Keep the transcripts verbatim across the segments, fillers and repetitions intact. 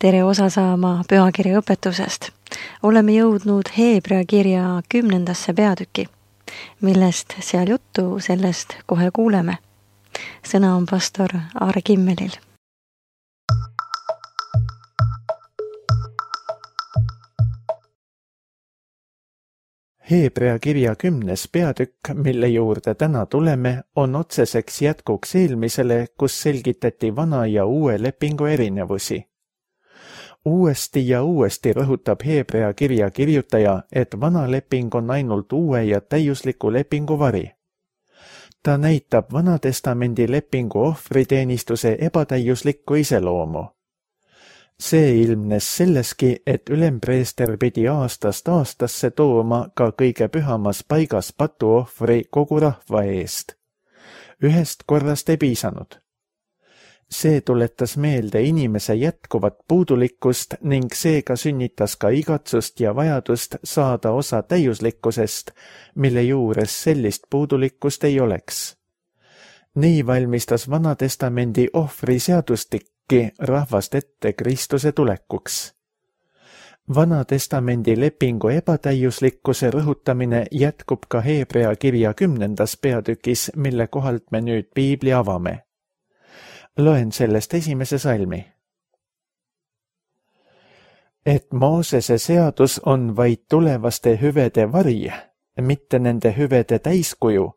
tere osa saama pühakirja õpetusest. Oleme jõudnud Heebrea kirja kümnendasse peatüki. Millest seal juttu, sellest kohe kuuleme. Sõna on pastor Aare Kimmelil. Heebrea kirja kümnes peatükk, mille juurde täna tuleme, on otseseks jätkuks eelmisele, kus selgitati vana ja uue lepingu erinevusi. Uuesti ja uuesti rõhutab Heebrea kirja kirjutaja, et vana leping on ainult uue ja täiusliku lepingu vari. Ta näitab Vanatestamendi lepingu ohvriteenistuse ebatäiuslikku iseloomu. See ilmnes selleski, et ülempreester pidi aastast aastasse tooma ka kõige pühamas paigas patuohvri kogu rahva eest. Ühest korrast ei piisanud. See tuletas meelde inimese jätkuvat puudulikkust ning seega sünnitas ka igatsust ja vajadust saada osa täiuslikkusest, mille juures sellist puudulikkust ei oleks. Nii valmistas Vanatestamendi ohvriseadustik rahvast ette Kristuse tulekuks. Vanatestamendi lepingu ebatäiuslikkuse rõhutamine jätkub ka Heebrea kirja kümnendas peatükis, mille kohalt me nüüd piibli avame. Loen sellest esimese salmi. Et Moosese seadus on vaid tulevaste hüvede vari, mitte nende hüvede täiskuju,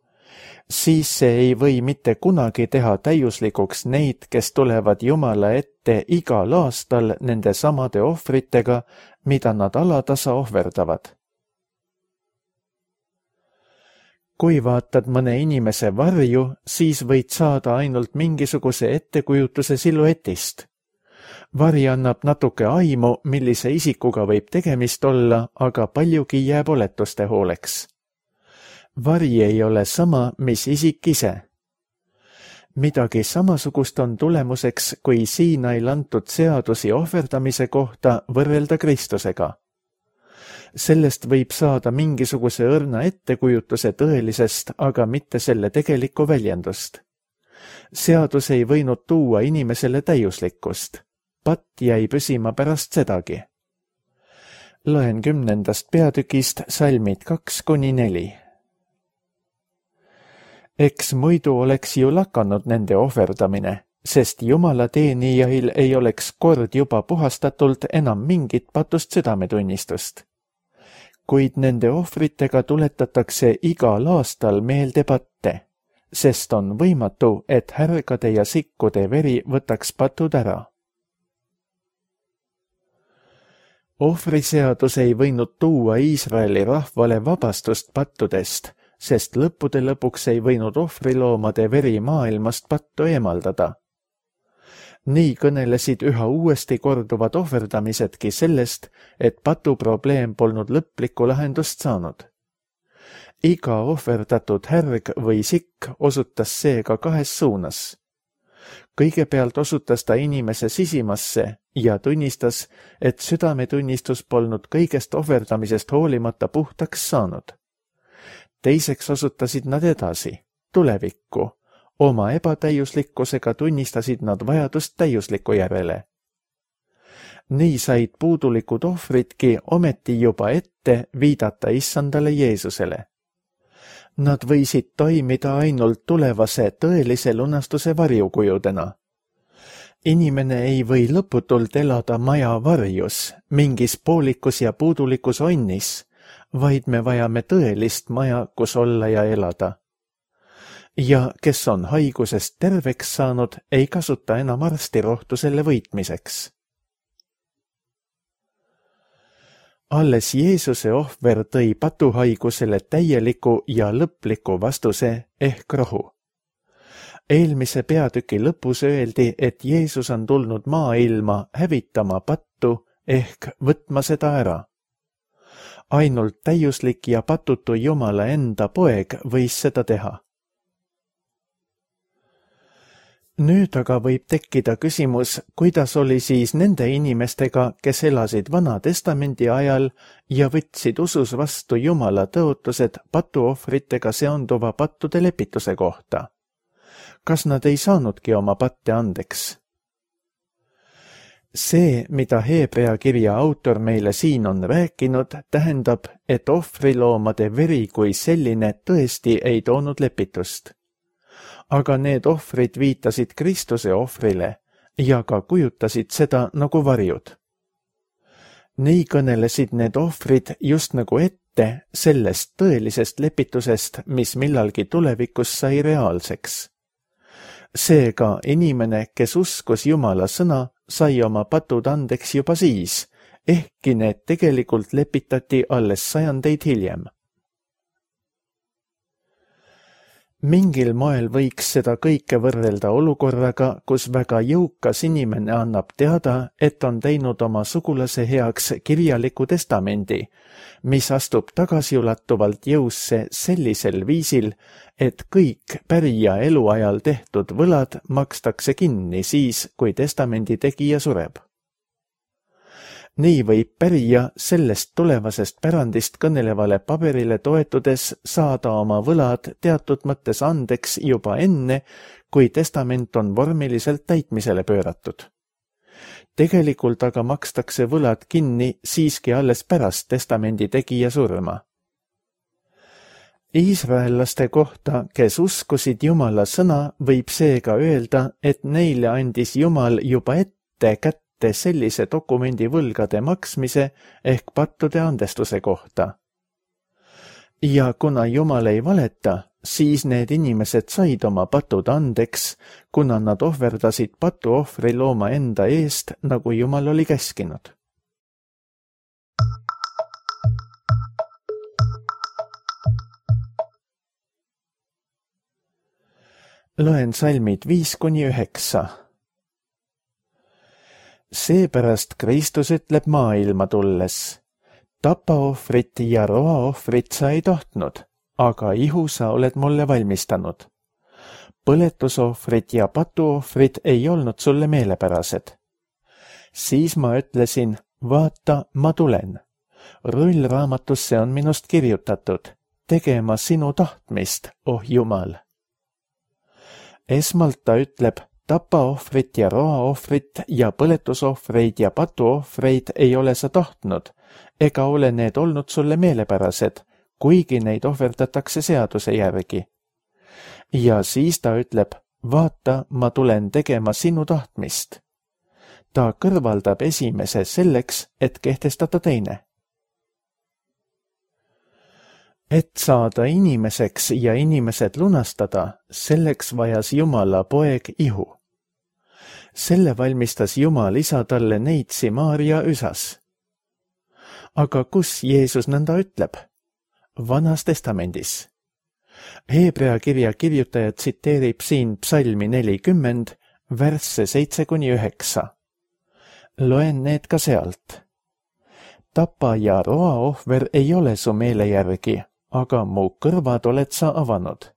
siis see ei või mitte kunagi teha täiuslikuks neid, kes tulevad Jumala ette igal aastal nende samade ohvritega, mida nad alatasa ohverdavad. Kui vaatad mõne inimese varju, siis võid saada ainult mingisuguse ettekujutuse siluetist. Vari annab natuke aimu, millise isikuga võib tegemist olla, aga paljugi jääb oletuste hooleks. Vari ei ole sama, mis isik ise. Midagi samasugust on tulemuseks, kui Siinail antud seadusi ohverdamise kohta võrrelda Kristusega. Sellest võib saada mingisuguse õrna ettekujutuse tõelisest, aga mitte selle tegelikku väljendust. Seadus ei võinud tuua inimesele täiuslikkust. Patt jäi püsima pärast sedagi. Loen kümnendast peatükist salmid kaks kuni neli. Eks muidu oleks ju lakanud nende ohverdamine, sest Jumala teenijail ei oleks kord juba puhastatult enam mingit patust südametunnistust. Kuid nende ohvritega tuletatakse igal aastal meelde patte, sest on võimatu, et härgade ja sikkude veri võtaks patud ära. Ohvriseadus ei võinud tuua Iisraeli rahvale vabastust pattudest, sest lõppude lõpuks ei võinud ohvriloomade veri maailmast pattu eemaldada. Nii kõnelesid üha uuesti korduvad ohverdamisedki sellest, et patuprobleem polnud lõplikku lahendust saanud. Iga ohverdatud härg või sikk osutas seega kahes suunas. Kõigepealt osutas ta inimese sisimasse ja tunnistas, et südametunnistus polnud kõigest ohverdamisest hoolimata puhtaks saanud. Teiseks osutasid nad edasi, tulevikku. Oma ebatäiuslikkusega tunnistasid nad vajadust täiusliku järele. Nii said puudulikud ohvritki ometi juba ette viidata issandale Jeesusele. Nad võisid toimida ainult tulevase tõelise lunastuse varjukujudena. Inimene ei või lõputult elada maja varjus, mingis poolikus ja puudulikus onnis, vaid me vajame tõelist maja, kus olla ja elada. Ja kes on haigusest terveks saanud, ei kasuta enam arstirohtu selle võitmiseks. Alles Jeesuse ohver tõi patuhaigusele täieliku ja lõpliku vastuse ehk rohu. Eelmise peatüki lõpus öeldi, et Jeesus on tulnud maailma hävitama pattu ehk võtma seda ära. Ainult täiuslik ja patutu Jumala enda poeg võis seda teha. Nüüd aga võib tekkida küsimus, kuidas oli siis nende inimestega, kes elasid Vana-testamendi ajal ja võtsid usus vastu Jumala tõotused patuohvritega seonduva pattude lepituse kohta. Kas nad ei saanudki oma patte andeks? See, mida Heebrea kirja autor meile siin on rääkinud, tähendab, et ohvriloomade veri kui selline tõesti ei toonud lepitust. Aga need ohvrid viitasid Kristuse ohvrile ja ka kujutasid seda nagu varjud. Nii kõnelesid need ohvrid just nagu ette sellest tõelisest lepitusest, mis millalgi tulevikus sai reaalseks. Seega inimene, kes uskus Jumala sõna, sai oma patud andeks juba siis, ehkki need tegelikult lepitati alles sajandeid hiljem. Mingil moel võiks seda kõike võrrelda olukorraga, kus väga jõukas inimene annab teada, et on teinud oma sugulase heaks kirjaliku testamendi, mis astub tagasiulatuvalt jõusse sellisel viisil, et kõik pärija eluajal tehtud võlad makstakse kinni siis, kui testamendi tegija sureb. Nii võib pärija sellest tulevasest pärandist kõnelevale paberile toetudes saada oma võlad teatud mõttes andeks juba enne, kui testament on vormiliselt täitmisele pööratud. Tegelikult aga makstakse võlad kinni siiski alles pärast testamendi tegija surma. Iisraellaste kohta, kes uskusid Jumala sõna, võib seega öelda, et neile andis Jumal juba ette kätte sellise dokumendi võlgade maksmise ehk pattude andestuse kohta. Ja kuna Jumal ei valeta, siis need inimesed said oma patud andeks, kuna nad ohverdasid patuohvri looma enda eest, nagu Jumal oli käskinud. Loen salmid viis kuni üheksa. Seepärast Kristus ütleb maailma tulles, tapaohvrit ja roaohvrit sa ei tahtnud, aga ihu sa oled mulle valmistanud. Põletusohvrit ja patuohvrit ei olnud sulle meelepärased. Siis ma ütlesin, vaata, ma tulen. Rullraamatusse on minust kirjutatud, tegema sinu tahtmist, oh Jumal. Esmalt ta ütleb, tapaohvrit ja roaohvrit ja põletusohvreid ja patuohvreid ei ole sa tahtnud, ega ole need olnud sulle meelepärased, kuigi neid ohverdatakse seaduse järgi. Ja siis ta ütleb, vaata, ma tulen tegema sinu tahtmist. Ta kõrvaldab esimese selleks, et kehtestada teine. Et saada inimeseks ja inimesed lunastada, selleks vajas Jumala poeg ihu. Selle valmistas Jumal isa talle neitsi Maarja üsas. Aga kus Jeesus nõnda ütleb? Vanas testamendis. Heebrea kirja kirjutaja tsiteerib siin psalmi nelikümmend, värsse seitse kuni üheksa. Loen need ka sealt. Tapa ja roaohver ei ole su meele järgi, aga mu kõrvad oled sa avanud.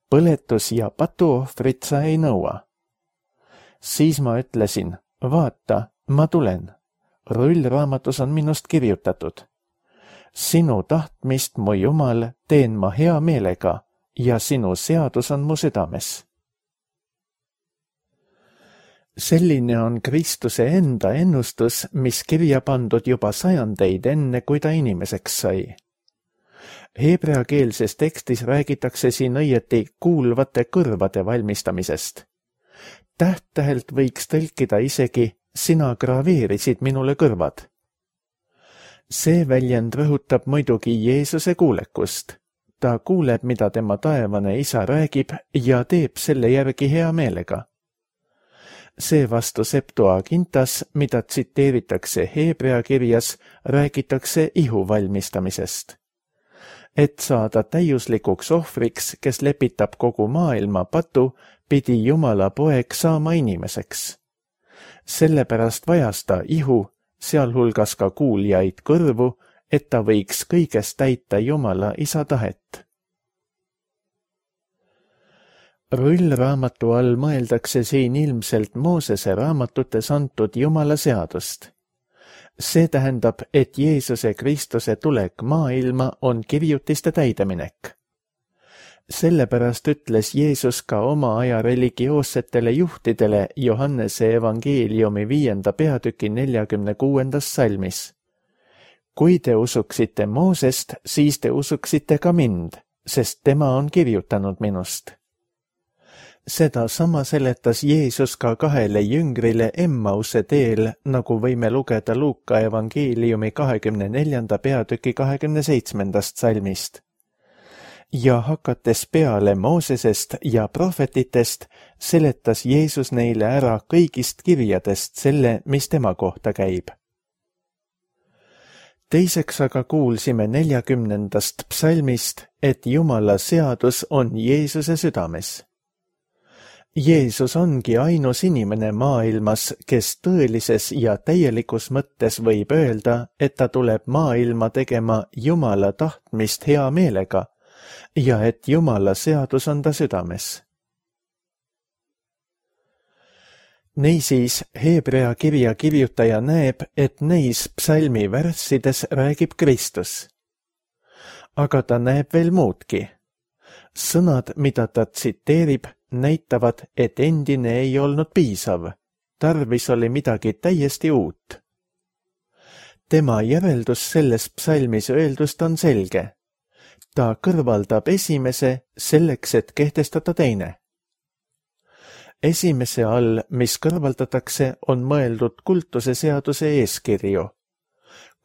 Põletus ja patuohvrit sa ei nõua. Siis ma ütlesin, vaata, ma tulen. Rullraamatus on minust kirjutatud. Sinu tahtmist, mu Jumal, teen ma hea meelega ja sinu seadus on mu südames. Selline on Kristuse enda ennustus, mis kirja pandud juba sajandeid enne, kui ta inimeseks sai. Heebreakeelses tekstis räägitakse siin õieti kuulvate kõrvade valmistamisest. Täht-tähelt võiks tõlkida isegi, sina graveerisid minule kõrvad. See väljend rõhutab muidugi Jeesuse kuulekust. Ta kuuleb, mida tema taevane isa räägib ja teeb selle järgi hea meelega. Seevastu Septuagintas, mida tsiteeritakse Heebrea kirjas, räägitakse ihu valmistamisest. Et saada täiuslikuks ohvriks, kes lepitab kogu maailma patu, pidi Jumala poeg saama inimeseks. Sellepärast vajas ta ihu, sealhulgas ka kuuljaid kõrvu, et ta võiks kõigest täita Jumala isa tahet. Rullraamatu all mõeldakse siin ilmselt Moosese raamatutes antud Jumala seadust. See tähendab, et Jeesuse Kristuse tulek maailma on kirjutiste täideminek. Sellepärast ütles Jeesus ka oma aja religioossetele juhtidele Johannese evangeeliumi viienda peatüki neljakümne kuuendas salmis. Kui te usuksite Moosest, siis te usuksite ka mind, sest tema on kirjutanud minust. Seda sama seletas Jeesus ka kahele jüngrile Emmause teel, nagu võime lugeda Luuka evangeeliumi kahekümne neljanda peatüki kahekümne seitsmendast salmist. Ja hakates peale Moosesest ja prohvetitest, seletas Jeesus neile ära kõigist kirjadest selle, mis tema kohta käib. Teiseks aga kuulsime neljakümnendast psalmist, et Jumala seadus on Jeesuse südames. Jeesus ongi ainus inimene maailmas, kes tõelises ja täielikus mõttes võib öelda, et ta tuleb maailma tegema Jumala tahtmist hea meelega ja et Jumala seadus on ta südames. Niisiis, Hebrea kirja kirjutaja näeb, et neis psalmi värssides räägib Kristus. Aga ta näeb veel muudki. Sõnad, mida ta tsiteerib, näitavad, et endine ei olnud piisav. Tarvis oli midagi täiesti uut. Tema järeldus selles psalmis öeldust on selge. Ta kõrvaldab esimese selleks, et kehtestada teine. Esimese all, mis kõrvaldatakse, on mõeldud kultuse seaduse eeskirju.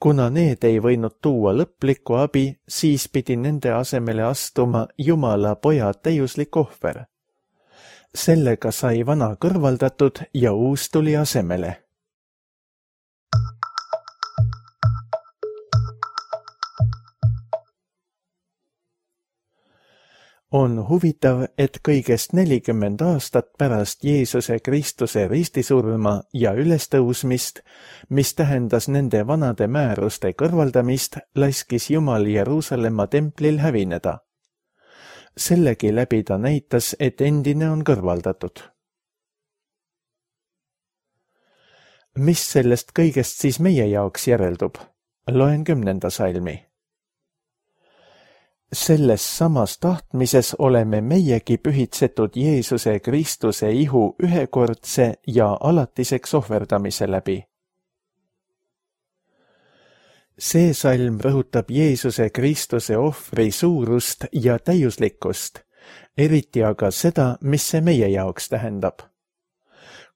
Kuna need ei võinud tuua lõplikku abi, siis pidi nende asemele astuma Jumala poja täiuslik ohver. Sellega sai vana kõrvaldatud ja uus tuli asemele. On huvitav, et kõigest nelikümmend aastat pärast Jeesuse Kristuse ristisurma ja ülestõusmist, mis tähendas nende vanade määruste kõrvaldamist, laskis Jumal Jeruusalemma templil hävineda. Sellegi läbi ta näitas, et endine on kõrvaldatud. Mis sellest kõigest siis meie jaoks järeldub? Loen kümnenda salmi. Selles samas tahtmises oleme meiegi pühitsetud Jeesuse Kristuse ihu ühekordse ja alatiseks ohverdamise läbi. See salm rõhutab Jeesuse Kristuse ohvri suurust ja täiuslikkust, eriti aga seda, mis see meie jaoks tähendab.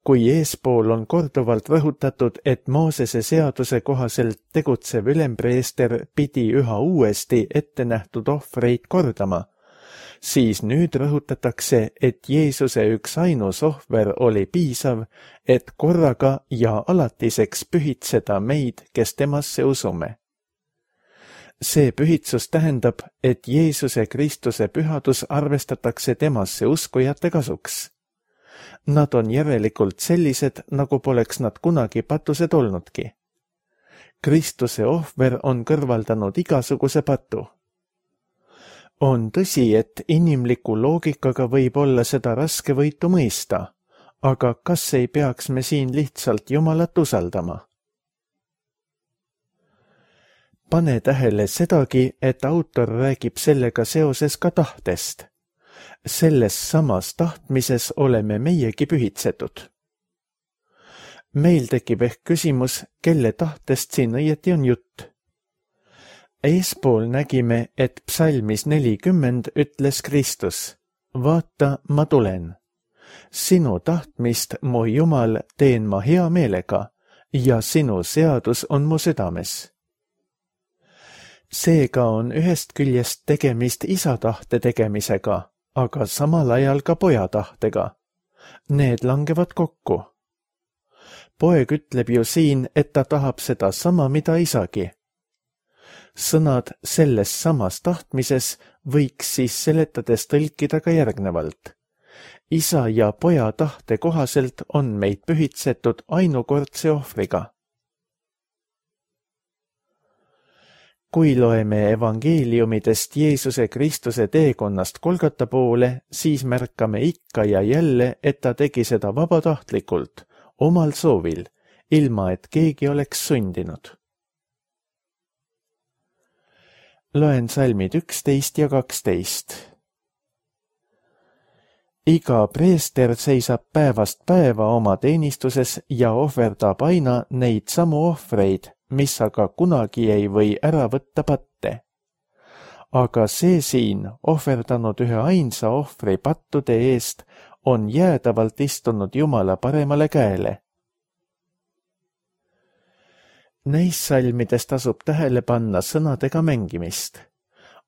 Kui eespool on korduvalt rõhutatud, et Moosese seaduse kohaselt tegutsev ülempreester pidi üha uuesti ette nähtud ohvreid kordama, siis nüüd rõhutatakse, et Jeesuse üks ainus ohver oli piisav, et korraga ja alatiseks pühitseda meid, kes temasse usume. See pühitsus tähendab, et Jeesuse Kristuse pühadus arvestatakse temasse uskujate kasuks. Nad on järelikult sellised, nagu poleks nad kunagi patused olnudki. Kristuse ohver on kõrvaldanud igasuguse patu. On tõsi, et inimliku loogikaga võib olla seda raske võitu mõista, aga kas ei peaks me siin lihtsalt Jumalat usaldama? Pane tähele sedagi, et autor räägib sellega seoses ka tahtest. Selles samas tahtmises oleme meiegi pühitsetud. Meil tekib ehk küsimus, kelle tahtest siin õieti on jutt. Eespool nägime, et psalmis nelikümmend ütles Kristus, vaata, ma tulen. Sinu tahtmist, mu Jumal, teen ma hea meelega ja sinu seadus on mu südames. Seega on ühest küljest tegemist isa tahte tegemisega, aga samal ajal ka poja tahtega. Need langevad kokku. Poeg ütleb ju siin, et ta tahab seda sama, mida isagi. Sõnad selles samas tahtmises võiks siis seletades tõlkida ka järgnevalt. Isa ja poja tahte kohaselt on meid pühitsetud ainukordse ohvriga. Kui loeme evangeeliumidest Jeesuse Kristuse teekonnast Golgata poole, siis märkame ikka ja jälle, et ta tegi seda vabatahtlikult, omal soovil, ilma et keegi oleks sundinud. Loen salmid üksteist ja kaksteist. iga preester seisab päevast päeva oma teenistuses ja ohverdab aina neid samu ohvreid, mis aga kunagi ei või ära võtta patte. Aga see siin, ohverdanud ühe ainsa ohvri pattude eest, on jäädavalt istunud Jumala paremale käele. Neis salmides tasub tähele panna sõnadega mängimist.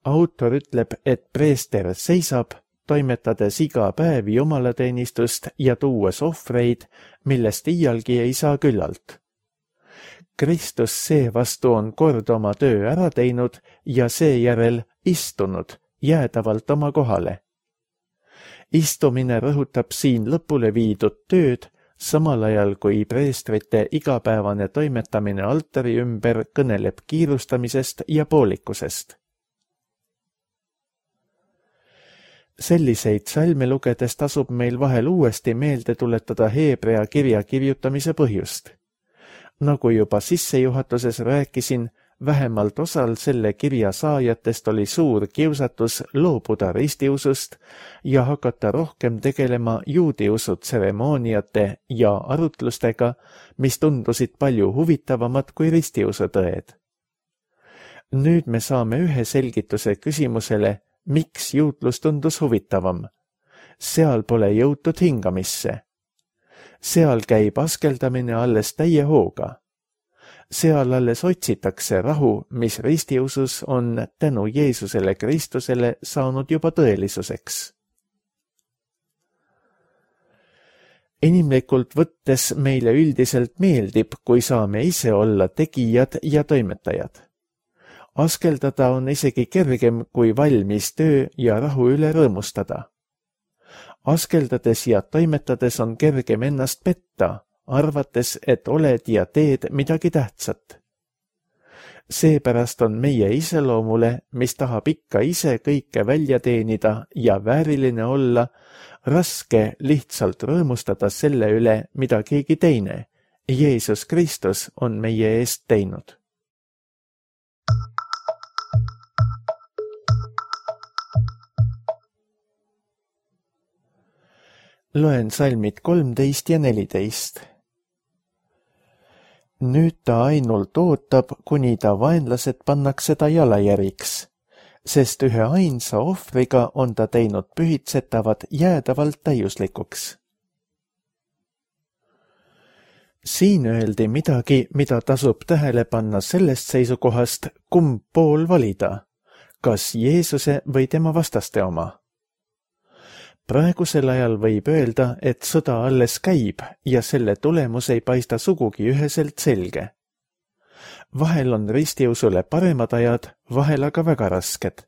Autor ütleb, et preester seisab, toimetades iga päev jumalateenistust ja tuues ohvreid, millest iialgi ei saa küllalt. Kristus seevastu on kord oma töö ära teinud ja seejärel istunud jäädavalt oma kohale. Istumine rõhutab siin lõpule viidud tööd, samal ajal kui preestrite igapäevane toimetamine altari ümber kõneleb kiirustamisest ja poolikusest. Selliseid salme lugedes tasub meil vahel uuesti meelde tuletada Heebrea kirja kirjutamise põhjust. Nagu juba sissejuhatuses rääkisin, vähemalt osal selle kirja saajatest oli suur kiusatus loobuda ristiusust ja hakata rohkem tegelema juudiusu tseremooniate ja arutlustega, mis tundusid palju huvitavamad kui ristiusu tõed. Nüüd me saame ühe selgituse küsimusele, miks juutlus tundus huvitavam. Seal pole jõutud hingamisse. Seal käib askeldamine alles täie hooga. Seal alles otsitakse rahu, mis ristiusus on tänu Jeesusele Kristusele saanud juba tõelisuseks. Inimlikult võttes meile üldiselt meeldib, kui saame ise olla tegijad ja toimetajad. Askeldada on isegi kergem kui valmis töö ja rahu üle rõõmustada. Askeldades ja toimetades on kergem ennast petta, arvates, et oled ja teed midagi tähtsat. Seepärast on meie iseloomule, mis tahab ikka ise kõike välja teenida ja vääriline olla, raske lihtsalt rõõmustada selle üle, mida keegi teine, Jeesus Kristus, on meie eest teinud. Loen salmid kolmteist ja neliteist. Nüüd ta ainult ootab, kuni ta vaenlased pannakse ta jalajäriks, sest ühe ainsa ohvriga on ta teinud pühitsetavad jäädavalt täiuslikuks. Siin öeldi midagi, mida tasub tähele panna sellest seisukohast, kumb pool valida, kas Jeesuse või tema vastaste oma. Praegusel ajal võib öelda, et sõda alles käib ja selle tulemus ei paista sugugi üheselt selge. Vahel on ristiusule paremad ajad, vahel aga väga rasked.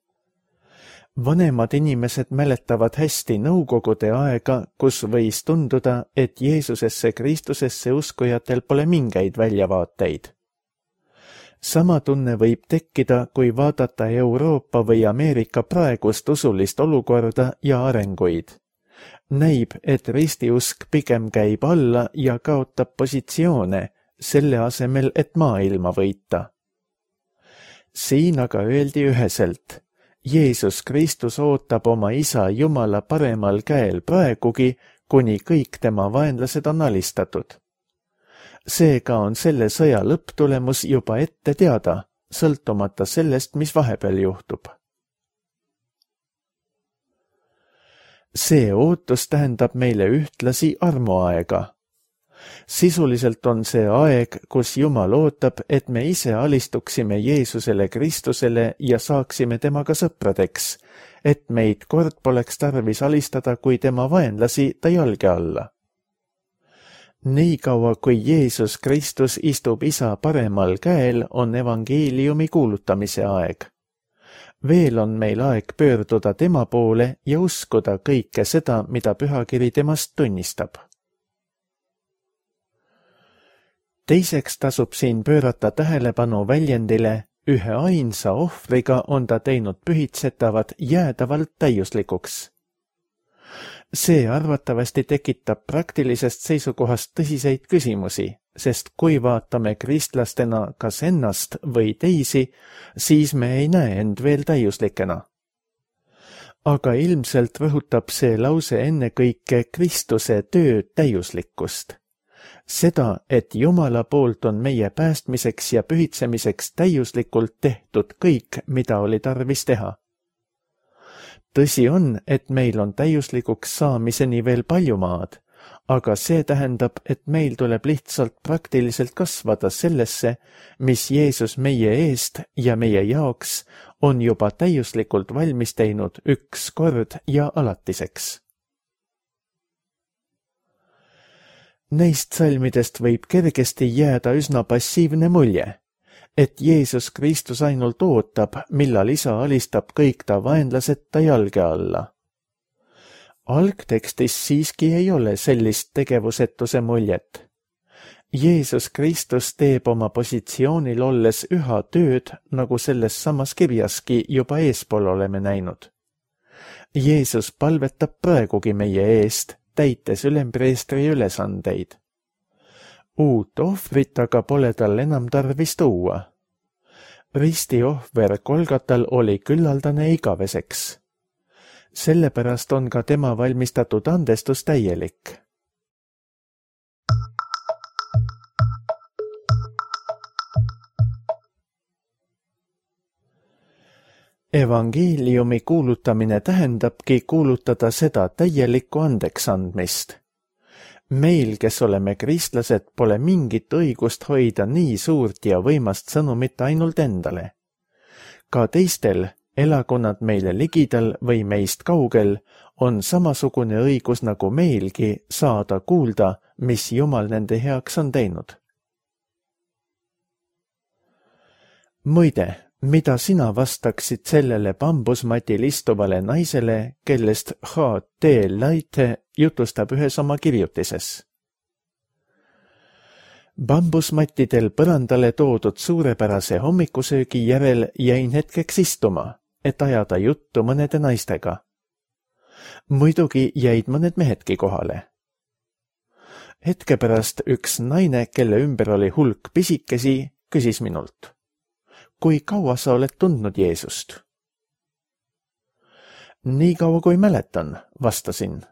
Vanemad inimesed mäletavad hästi nõukogude aega, kus võis tunduda, et Jeesusesse Kristusesse uskujatel pole mingeid väljavaateid. Sama tunne võib tekkida, kui vaadata Euroopa või Ameerika praegust usulist olukorda ja arenguid. Näib, et ristiusk pigem käib alla ja kaotab positsioone, selle asemel, et maailma võita. Siin aga öeldi üheselt, Jeesus Kristus ootab oma isa Jumala paremal käel praegugi, kuni kõik tema vaenlased on alistatud. Seega on selle sõja lõpptulemus juba ette teada, sõltumata sellest, mis vahepeal juhtub. See ootus tähendab meile ühtlasi armuaega. Sisuliselt on see aeg, kus Jumal ootab, et me ise alistuksime Jeesusele Kristusele ja saaksime temaga sõpradeks, et meid kord poleks tarvis alistada kui tema vaenlasi ta jalge alla. Nii kaua, kui Jeesus Kristus istub isa paremal käel, on evangeeliumi kuulutamise aeg. Veel on meil aeg pöörduda tema poole ja uskuda kõike seda, mida pühakiri temast tunnistab. Teiseks tasub siin pöörata tähelepanu väljendile, ühe ainsa ohvriga on ta teinud pühitsetavad jäädavalt täiuslikuks. See arvatavasti tekitab praktilisest seisukohast tõsiseid küsimusi, sest kui vaatame kristlastena kas ennast või teisi, siis me ei näe end veel täiuslikena. aga ilmselt rõhutab see lause ennekõike Kristuse töö täiuslikkust. Seda, et Jumala poolt on meie päästmiseks ja pühitsemiseks täiuslikult tehtud kõik, mida oli tarvis teha. Tõsi on, et meil on täiuslikuks saamiseni veel palju maad, aga see tähendab, et meil tuleb lihtsalt praktiliselt kasvada sellesse, mis Jeesus meie eest ja meie jaoks on juba täiuslikult valmis teinud üks kord ja alatiseks. Neist salmidest võib kergesti jääda üsna passiivne mulje, et Jeesus Kristus ainult ootab, millal isa alistab kõik ta vaenlased ta jalge alla. Algtekstis siiski ei ole sellist tegevusetuse muljet. Jeesus Kristus teeb oma positsioonil olles üha tööd, nagu selles samas kirjaski juba eespool oleme näinud. Jeesus palvetab praegugi meie eest, täites ülempreestri ülesandeid. Uut ohvrit aga pole tal enam tarvis tuua. Risti ohver Kolgatal oli küllaldane igaveseks. Sellepärast on ka tema valmistatud andestus täielik. Evangeeliumi kuulutamine tähendabki kuulutada seda täielikku andeksandmist. Meil, kes oleme kristlased, pole mingit õigust hoida nii suurt ja võimast sõnumit ainult endale. Ka teistel, elagu nad meile ligidal või meist kaugel, on samasugune õigus nagu meilgi saada kuulda, mis Jumal nende heaks on teinud. Muide, mida sina vastaksid sellele bambusmatil istuvale naisele, kellest H T Laite jutustab ühes oma kirjutises? Bambusmattidel põrandale toodud suurepärase hommikusöögi järel jäin hetkeks istuma, et ajada juttu mõnede naistega. Muidugi jäid mõned mehedki kohale. Hetke pärast üks naine, kelle ümber oli hulk pisikesi, küsis minult: kui kaua sa oled tundnud Jeesust? Nii kaua kui mäletan, vastasin.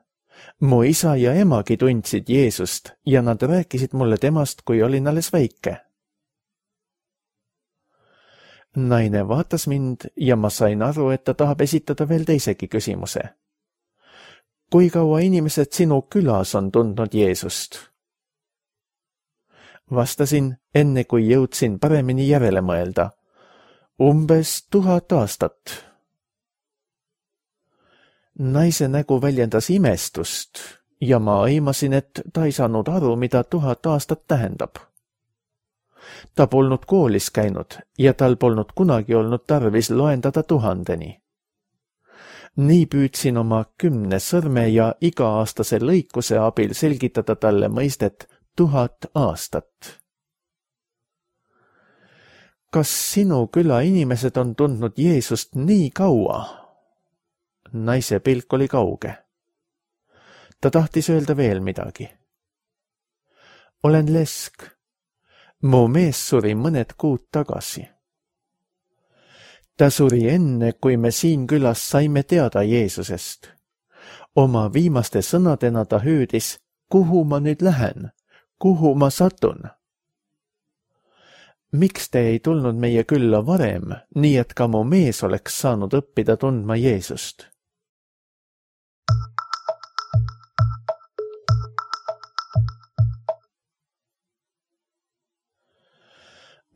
Mu isa ja emagi tundsid Jeesust ja nad rääkisid mulle temast, kui olin alles väike. Naine vaatas mind ja ma sain aru, et ta tahab esitada veel teisegi küsimuse. Kui kaua inimesed sinu külas on tundnud Jeesust? Vastasin, enne kui jõudsin paremini järele mõelda. Umbes tuhat aastat. Naise nägu väljendas imestust ja ma aimasin, et ta ei saanud aru, mida tuhat aastat tähendab. Ta polnud koolis käinud ja tal polnud kunagi olnud tarvis loendada tuhandeni. Nii püüdsin oma kümne sõrme ja iga-aastase lõikuse abil selgitada talle mõistet tuhat aastat. Kas sinu küla inimesed on tundnud Jeesust nii kaua? Naise pilk oli kauge. Ta tahtis öelda veel midagi. Olen lesk. Mu mees suri mõned kuud tagasi. Ta suri enne, kui me siin külas saime teada Jeesusest. Oma viimaste sõnadena ta hüüdis, kuhu ma nüüd lähen, kuhu ma satun? Miks te ei tulnud meie külla varem, nii et ka mu mees oleks saanud õppida tundma Jeesust?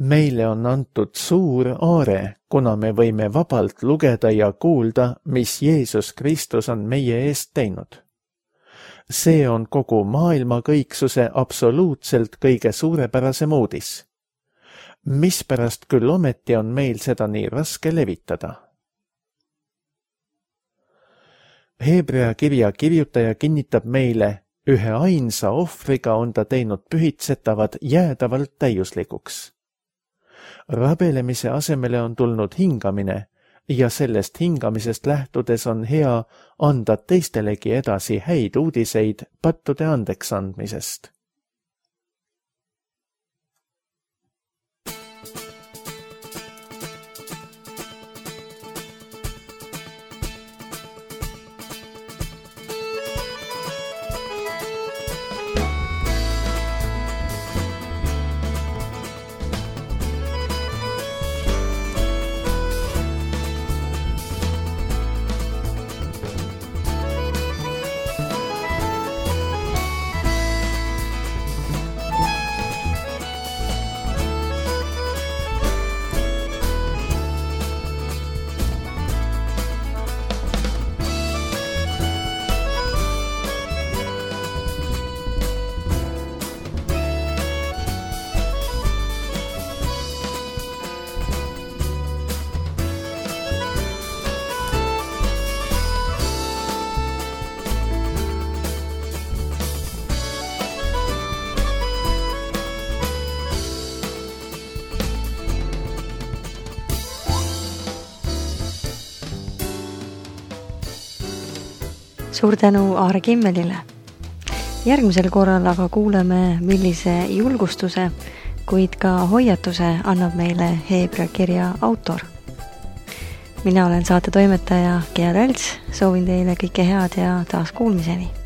Meile on antud suur aare, kuna me võime vabalt lugeda ja kuulda, mis Jeesus Kristus on meie eest teinud. See on kogu maailma kõiksuse absoluutselt kõige suurepärasem uudis. Mispärast küll ometi on meil seda nii raske levitada? Heebrea kirja kirjutaja kinnitab meile, ühe ainsa ohvriga on ta teinud pühitsetavad jäädavalt täiuslikuks. Rabelemise asemele on tulnud hingamine ja sellest hingamisest lähtudes on hea anda teistelegi edasi häid uudiseid pattude andeks andmisest. suur tänu Aare Kimmelile. Järgmisel korral aga kuuleme, millise julgustuse, kuid ka hoiatuse annab meile Heebrea kirja autor. Mina olen saate toimetaja Gea Rälts, soovin teile kõike head ja taas kuulmiseni.